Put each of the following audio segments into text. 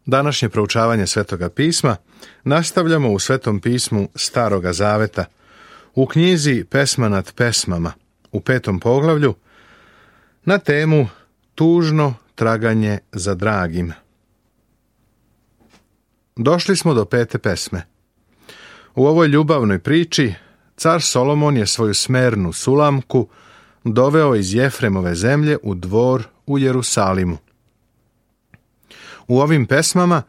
Današnje proučavanje Svetoga pisma nastavljamo u Svetom pismu Staroga zaveta, u knjizi Pesma nad pesmama, u 5. poglavlju, na temu Tužno traganje za dragim. Došli smo do 5. pesme. U ovoj ljubavnoj priči car Solomon je svoju smernu Sulamku doveo iz Jefremove zemlje u dvor u Jerusalimu. U ovim pesmama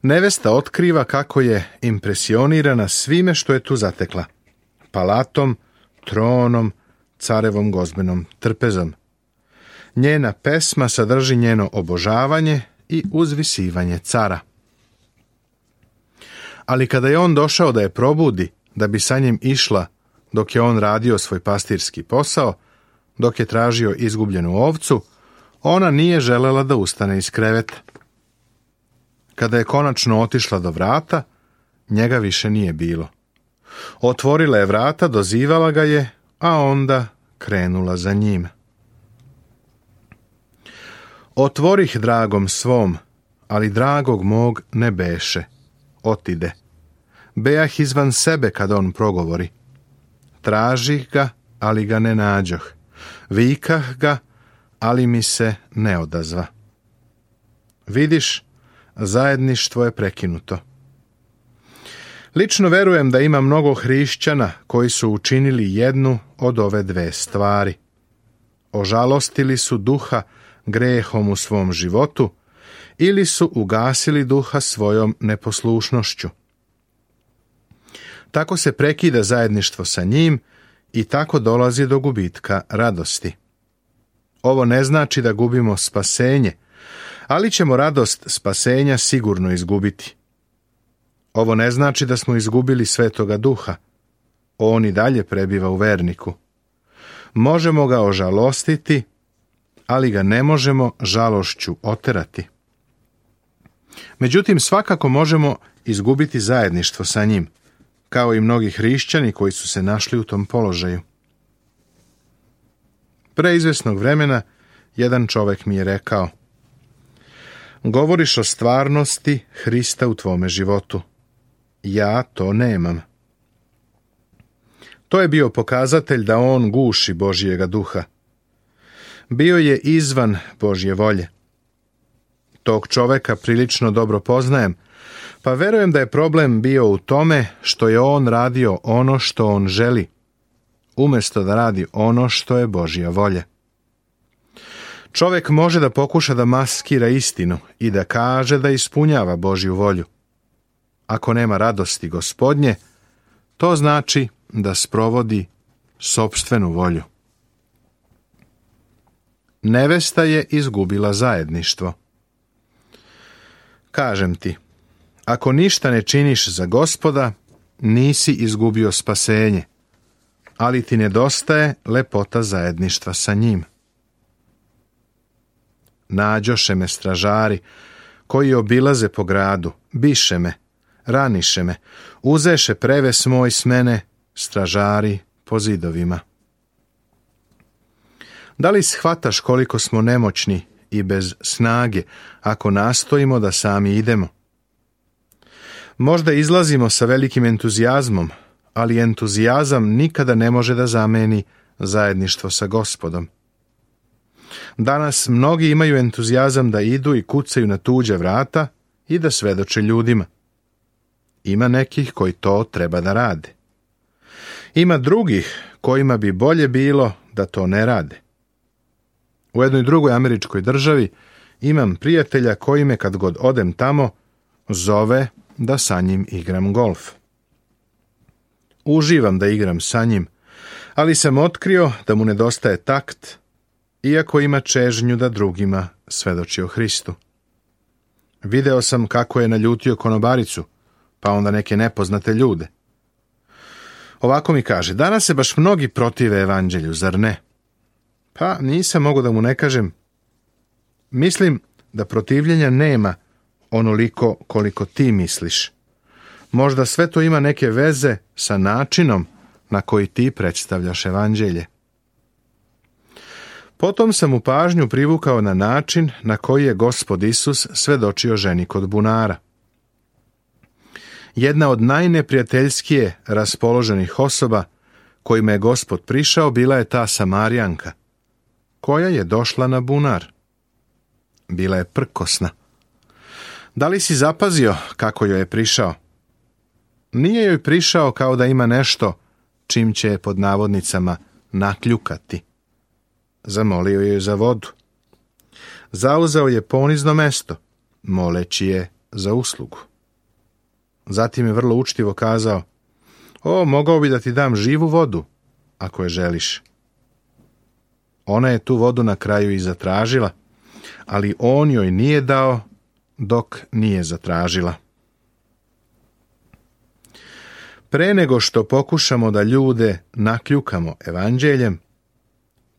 nevesta otkriva kako je impresionirana svime što je tu zatekla: palatom, tronom, carevom gozbenom trpezom. Njena pesma sadrži njeno obožavanje i uzvisivanje cara. Ali kada je on došao da je probudi, da bi sa njim išla dok je on radio svoj pastirski posao, dok je tražio izgubljenu ovcu, ona nije želela da ustane iz kreveta. Kada je konačno otišla do vrata, njega više nije bilo. Otvorila je vrata, dozivala ga je, a onda krenula za njim. Otvorih dragom svom, ali dragog mog ne beše. Otide. Bejah izvan sebe kad on progovori. Tražih ga, ali ga ne nađoh. Vikah ga, ali mi se ne odazva. Vidiš, zajedništvo je prekinuto. Lično verujem da ima mnogo hrišćana koji su učinili jednu od ove dve stvari. Ožalostili su duha grehom u svom životu ili su ugasili duha svojom neposlušnošću. Tako se prekida zajedništvo sa njim i tako dolazi do gubitka radosti. Ovo ne znači da gubimo spasenje, ali ćemo radost spasenja sigurno izgubiti. Ovo ne znači da smo izgubili Svetoga Duha. On i dalje prebiva u verniku. Možemo ga ožalostiti, ali ga ne možemo žalošću oterati. Međutim, svakako možemo izgubiti zajedništvo sa njim, kao i mnogi hrišćani koji su se našli u tom položaju. Pre izvesnog vremena jedan čovek mi je rekao: govoriš o stvarnosti Hrista u tvome životu. Ja to nemam. To je bio pokazatelj da on guši Božjega duha. Bio je izvan Božje volje. Tog čoveka prilično dobro poznajem, pa verujem da je problem bio u tome što je on radio ono što on želi, umjesto da radi ono što je Božja volja. Čovjek može da pokuša da maskira istinu i da kaže da ispunjava Božju volju. Ako nema radosti Gospodnje, to znači da sprovodi sopstvenu volju. Nevesta je izgubila zajedništvo. Kažem ti, ako ništa ne činiš za Gospoda, nisi izgubio spasenje, ali ti nedostaje lepota zajedništva sa njim. Nađoše me stražari, koji obilaze po gradu, biše me, raniše me, uzeše preves moj s mene, stražari po zidovima. Da li shvataš koliko smo nemoćni i bez snage ako nastojimo da sami idemo? Možda izlazimo sa velikim entuzijazmom, ali entuzijazam nikada ne može da zameni zajedništvo sa Gospodom. Danas mnogi imaju entuzijazam da idu i kucaju na tuđa vrata i da svedoče ljudima. Ima nekih koji to treba da rade. Ima drugih kojima bi bolje bilo da to ne rade. U jednoj drugoj američkoj državi imam prijatelja koji me kad god odem tamo zove da sa njim igram golf. Uživam da igram sa njim, ali sam otkrio da mu nedostaje takt, iako ima čežnju da drugima svedoči o Hristu. Video sam kako je naljutio konobaricu, pa onda neke nepoznate ljude. Ovako mi kaže: danas se baš mnogi protive evanđelju, zar ne? Pa nisam mogao da mu ne kažem: mislim da protivljenja nema onoliko koliko ti misliš. Možda sve to ima neke veze sa načinom na koji ti predstavljaš evanđelje. Potom sam mu pažnju privukao na način na koji je Gospod Isus svedočio ženi kod bunara. Jedna od najneprijateljskije raspoloženih osoba kojima je Gospod prišao bila je ta Samarijanka, koja je došla na bunar. Bila je prkosna. Da li si zapazio kako joj je prišao? Nije joj prišao kao da ima nešto čim će je pod navodnicama nakljukati. Zamolio je za vodu. Zauzeo je ponizno mesto, moleći je za uslugu. Zatim je vrlo učtivo kazao: mogao bi da ti dam živu vodu, ako je želiš. Ona je tu vodu na kraju i zatražila, ali on joj nije dao dok nije zatražila. Pre nego što pokušamo da ljude nakljukamo evanđeljem,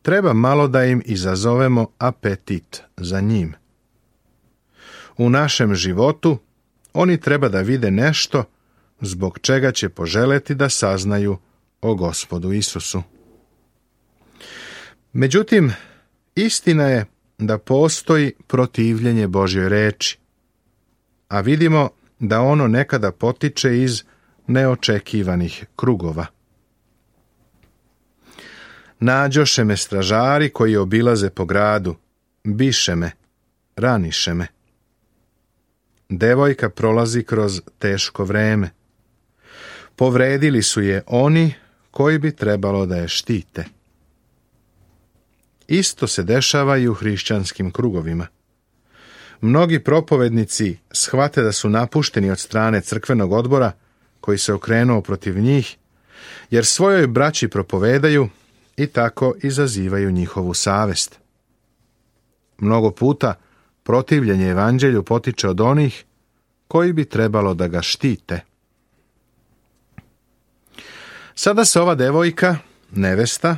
treba malo da im izazovemo apetit za njim. U našem životu oni treba da vide nešto zbog čega će poželeti da saznaju o Gospodu Isusu. Međutim, istina je da postoji protivljenje Božjoj reči, a vidimo da ono nekada potiče iz neočekivanih krugova. Nađoše me stražari koji obilaze po gradu, biše me, raniše me. Devojka prolazi kroz teško vreme. Povredili su je oni koji bi trebalo da je štite. Isto se dešava i u hrišćanskim krugovima. Mnogi propovednici shvate da su napušteni od strane crkvenog odbora koji se okrenuo protiv njih, jer svojoj braći propovedaju i tako izazivaju njihovu savest. Mnogo puta protivljenje evanđelju potiče od onih koji bi trebalo da ga štite. Sada se ova devojka, nevesta,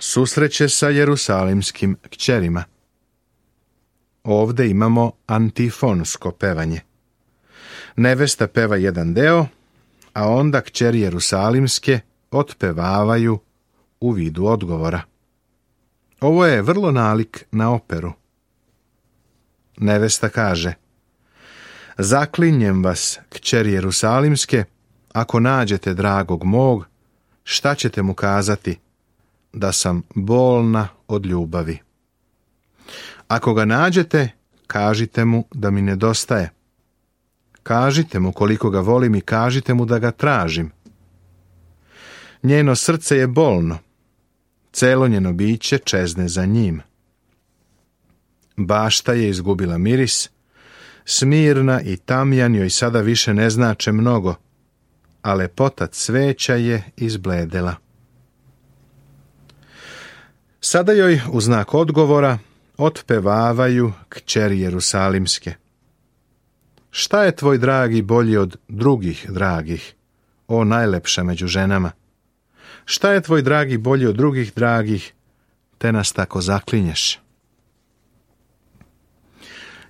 susreće sa jerusalimskim kćerima. Ovde imamo antifonsko pevanje. Nevesta peva jedan deo, a onda kćeri jerusalimske otpevavaju u vidu odgovora. Ovo je vrlo nalik na operu. Nevesta kaže: zaklinjem vas, kćeri jerusalimske, ako nađete dragog mog, šta ćete mu kazati? Da sam bolna od ljubavi. Ako ga nađete, kažite mu da mi nedostaje. Kažite mu koliko ga volim i kažite mu da ga tražim. Njeno srce je bolno, celo njeno biće čezne za njim. Bašta je izgubila miris, Smirna i Tamjan joj sada više ne znače mnogo, a lepota cveća je izbledela. Sada joj u znak odgovora otpevavaju kćeri jerusalimske. Šta je tvoj dragi bolji od drugih dragih, o najlepša među ženama? Šta je tvoj dragi bolji od drugih dragih, te nas tako zaklinješ?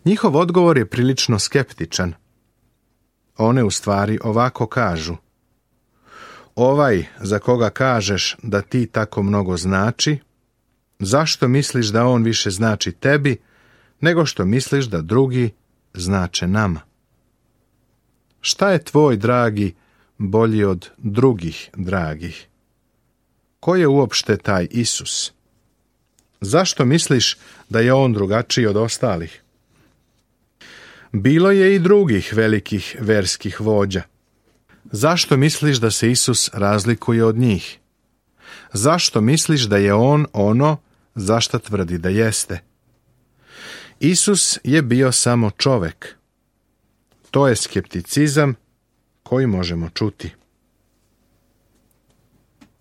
Njihov odgovor je prilično skeptičan. One u stvari ovako kažu: ovaj za koga kažeš da ti tako mnogo znači, zašto misliš da on više znači tebi, nego što misliš da drugi znače nama? Šta je tvoj dragi bolji od drugih dragih? Ko je uopšte taj Isus? Zašto misliš da je on drugačiji od ostalih? Bilo je i drugih velikih verskih vođa. Zašto misliš da se Isus razlikuje od njih? Zašto misliš da je on ono za šta tvrdi da jeste? Isus je bio samo čovek. To je skepticizam koji možemo čuti.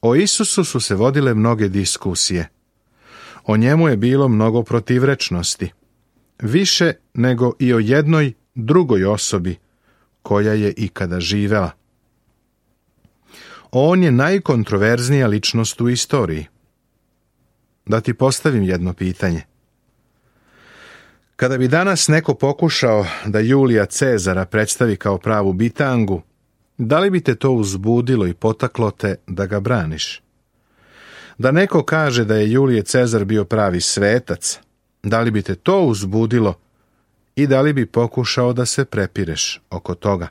O Isusu su se vodile mnoge diskusije. O njemu je bilo mnogo protivrečnosti. Više nego i o jednoj drugoj osobi koja je ikada živela. On je najkontroverznija ličnost u istoriji. Da ti postavim jedno pitanje. Kada bi danas neko pokušao da Julija Cezara predstavi kao pravu bitangu, da li bi te to uzbudilo i potaklo te da ga braniš? Da neko kaže da je Julije Cezar bio pravi svetac, da li bi te to uzbudilo i da li bi pokušao da se prepireš oko toga?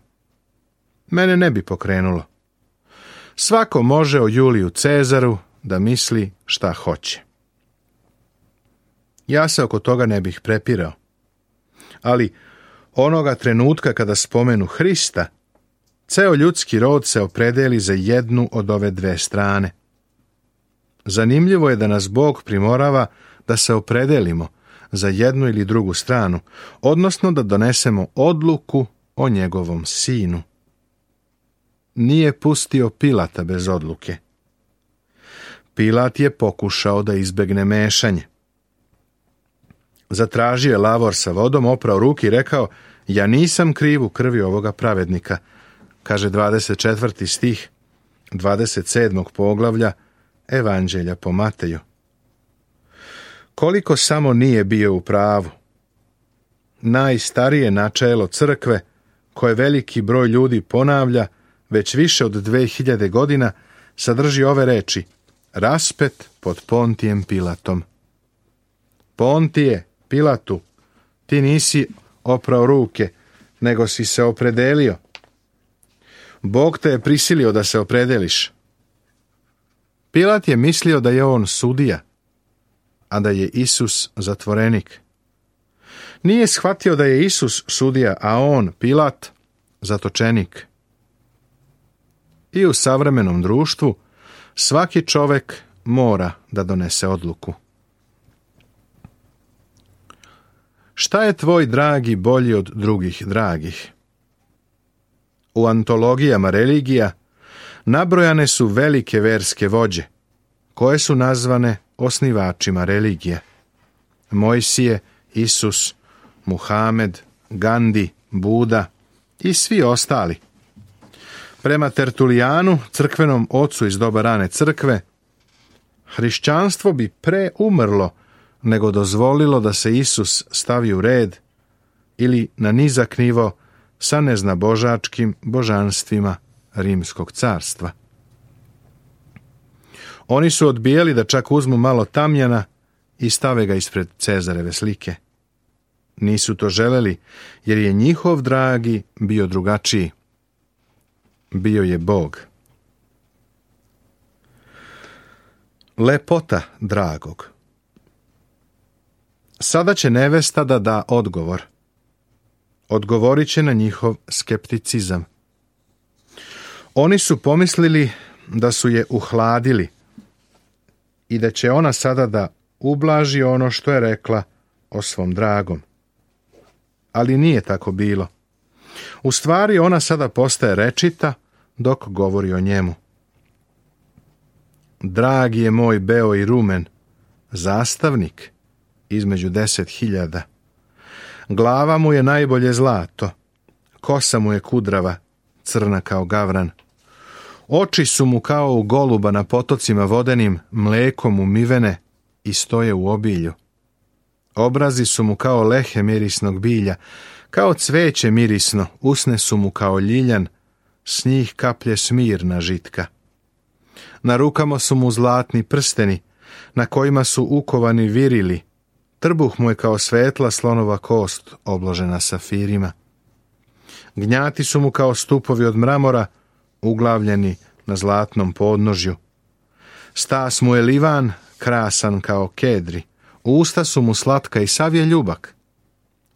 Mene ne bi pokrenulo. Svako može o Juliju Cezaru da misli šta hoće. Ja se oko toga ne bih prepirao. Ali onoga trenutka kada spomenu Hrista, ceo ljudski rod se opredeli za jednu od ove dve strane. Zanimljivo je da nas Bog primorava da se opredelimo za jednu ili drugu stranu, odnosno da donesemo odluku o njegovom sinu. Nije pustio Pilata bez odluke. Pilat je pokušao da izbegne mešanje. Zatražio je lavor sa vodom, oprao ruke i rekao: ja nisam kriv u krvi ovoga pravednika, kaže 24. stih 27. poglavlja Evanđelja po Mateju. Koliko samo nije bio u pravu. Najstarije načelo crkve, koje veliki broj ljudi ponavlja već više od 2000 godina, sadrži ove reči: raspet pod Pontijem Pilatom. Pontije, Pilatu, ti nisi oprao ruke, nego si se opredelio. Bog te je prisilio da se opredeliš. Pilat je mislio da je on sudija, a da je Isus zatvorenik. Nije shvatio da je Isus sudija, a on, Pilat, zatočenik. I u savremenom društvu svaki čovek mora da donese odluku. Šta je tvoj dragi bolji od drugih dragih? U antologijama religija nabrojane su velike verske vođe, koje su nazvane osnivačima religije. Mojsije, Isus, Muhamed, Gandi, Buda i svi ostali. Prema Tertulijanu, crkvenom ocu iz doba rane crkve, hrišćanstvo bi pre umrlo nego dozvolilo da se Isus stavi u red ili na nizak nivo sa neznabožačkim božanstvima Rimskog carstva. Oni su odbijali da čak uzmu malo tamjana i stave ga ispred Cezareve slike. Nisu to želeli, jer je njihov dragi bio drugačiji. Bio je Bog. Lepota dragog. Sada će nevesta da da odgovor. Odgovorit će na njihov skepticizam. Oni su pomislili da su je uhladili i da će ona sada da ublaži ono što je rekla o svom dragom. Ali nije tako bilo. U stvari ona sada postaje rečita dok govori o njemu. Dragi je moj beo i rumen, zastavnik između 10.000. Glava mu je najbolje zlato, kosa mu je kudrava, crna kao gavran. Oči su mu kao u goluba na potocima vodenim, mlekom umivene i stoje u obilju. Obrazi su mu kao lehe mirisnog bilja, kao cveće mirisno, usne su mu kao ljiljan, s njih kaplje smirna žitka. Na rukama su mu zlatni prsteni, na kojima su ukovani virili, trbuh mu je kao svetla slonova kost obložena safirima. Gnjati su mu kao stupovi od mramora, uglavljeni na zlatnom podnožju. Stas mu je livan, krasan kao kedri, usta su mu slatka i sav je ljubak.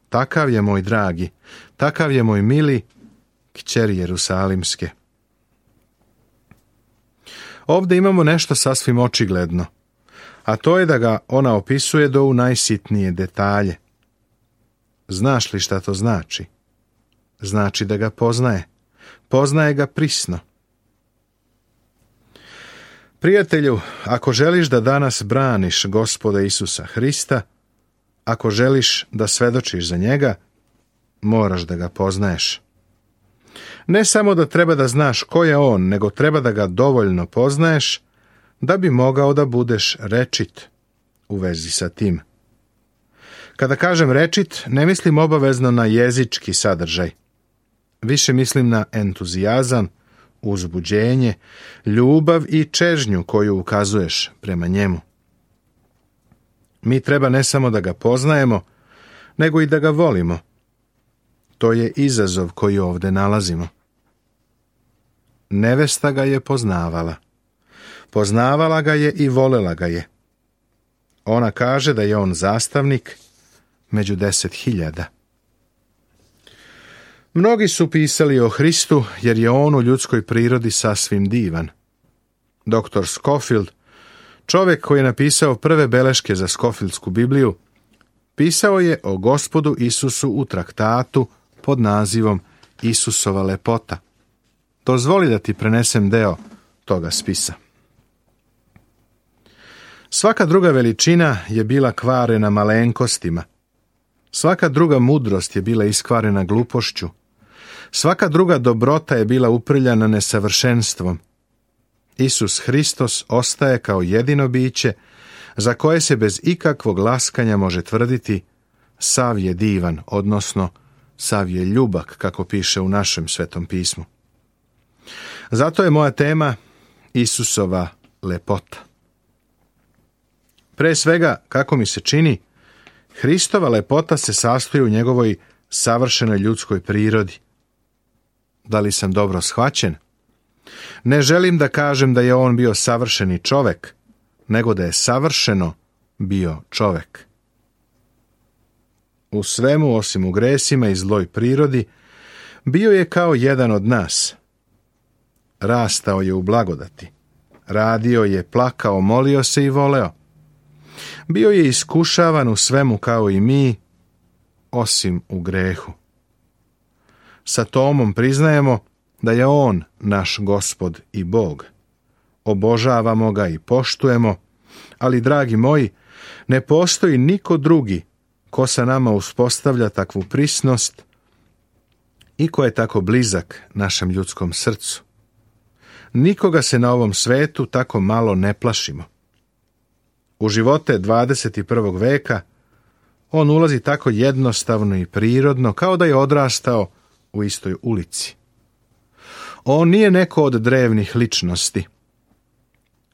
Takav je moj dragi, takav je moj mili, kćeri Jerusalimske. Ovdje imamo nešto sasvim očigledno, a to je da ga ona opisuje do u najsitnije detalje. Znaš li šta to znači? Znači da ga poznaje. Poznaje ga prisno. Prijatelju, ako želiš da danas braniš Gospoda Isusa Hrista, ako želiš da svedočiš za njega, moraš da ga poznaješ. Ne samo da treba da znaš ko je on, nego treba da ga dovoljno poznaješ da bi mogao da budeš rečit u vezi sa tim. Kada kažem rečit, ne mislim obavezno na jezički sadržaj. Više mislim na entuzijazam, uzbuđenje, ljubav i čežnju koju ukazuješ prema njemu. Mi treba ne samo da ga poznajemo, nego i da ga volimo. To je izazov koji ovdje nalazimo. Nevesta ga je poznavala. Poznavala ga je i volela ga je. Ona kaže da je on zastavnik među 10.000. Mnogi su pisali o Hristu jer je on u ljudskoj prirodi sasvim divan. Dr. Scofield, čovjek koji je napisao prve beleške za Scofieldsku Bibliju, pisao je o Gospodu Isusu u traktatu pod nazivom Isusova lepota. Dozvoli da ti prenesem deo toga spisa. Svaka druga veličina je bila kvarena malenkostima. Svaka druga mudrost je bila iskvarena glupošću. Svaka druga dobrota je bila uprljana nesavršenstvom. Isus Hristos ostaje kao jedino biće za koje se bez ikakvog laskanja može tvrditi sav je divan, odnosno sav je ljubak, kako piše u našem Svetom pismu. Zato je moja tema Isusova lepota. Pre svega, kako mi se čini, Hristova lepota se sastoji u njegovoj savršenoj ljudskoj prirodi. Da li sam dobro shvaćen? Ne želim da kažem da je on bio savršeni čovek, nego da je savršeno bio čovek. U svemu, osim u gresima i zloj prirodi, bio je kao jedan od nas. Rastao je u blagodati. Radio je, plakao, molio se i voleo. Bio je iskušavan u svemu kao i mi, osim u grehu. Sa Tomom priznajemo da je on naš Gospod i Bog. Obožavamo ga i poštujemo, ali, dragi moji, ne postoji niko drugi ko sa nama uspostavlja takvu prisnost i ko je tako blizak našem ljudskom srcu. Nikoga se na ovom svetu tako malo ne plašimo. U živote 21. veka on ulazi tako jednostavno i prirodno, kao da je odrastao u istoj ulici. On nije neko od drevnih ličnosti.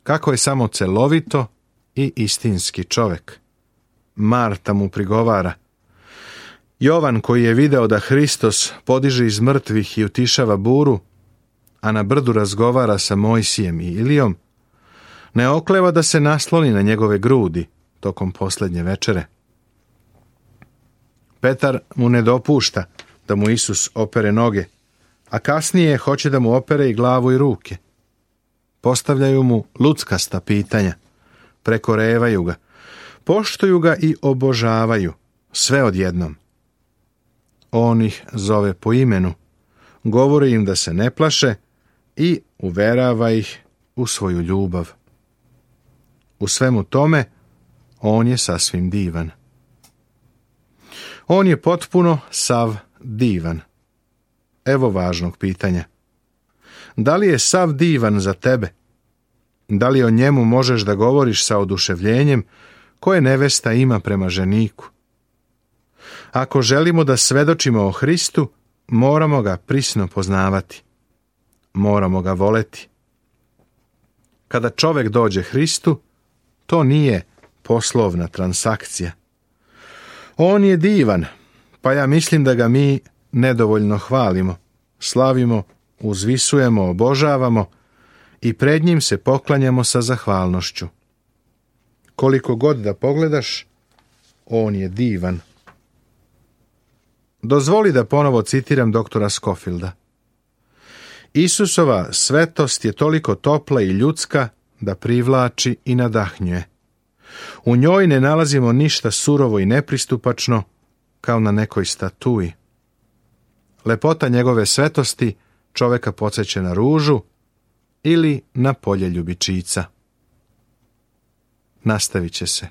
Kako je samo celovito i istinski čovek. Marta mu prigovara. Jovan, koji je video da Hristos podiže iz mrtvih i utišava buru, a na brdu razgovara sa Mojsijem i Ilijom, ne okleva da se nasloni na njegove grudi tokom posljednje večere. Petar mu ne dopušta da mu Isus opere noge, a kasnije hoće da mu opere i glavu i ruke. Postavljaju mu luckasta pitanja, prekorevaju ga, poštuju ga i obožavaju, sve odjednom. On ih zove po imenu, govori im da se ne plaše i uverava ih u svoju ljubav. U svemu tome, on je sasvim divan. On je potpuno sav divan. Evo važnog pitanja. Da li je sav divan za tebe? Da li o njemu možeš da govoriš sa oduševljenjem koje nevesta ima prema ženiku? Ako želimo da svedočimo o Hristu, moramo ga prisno poznavati. Moramo ga voleti. Kada čovjek dođe Hristu, to nije poslovna transakcija. On je divan, pa ja mislim da ga mi nedovoljno hvalimo, slavimo, uzvisujemo, obožavamo i pred njim se poklanjamo sa zahvalnošću. Koliko god da pogledaš, on je divan. Dozvoli da ponovo citiram doktora Scofielda. Isusova svetost je toliko topla i ljudska da privlači i nadahnjuje. U njoj ne nalazimo ništa surovo i nepristupačno kao na nekoj statui. Lepota njegove svetosti čoveka podsjeća na ružu ili na polje ljubičica. Nastavit će se.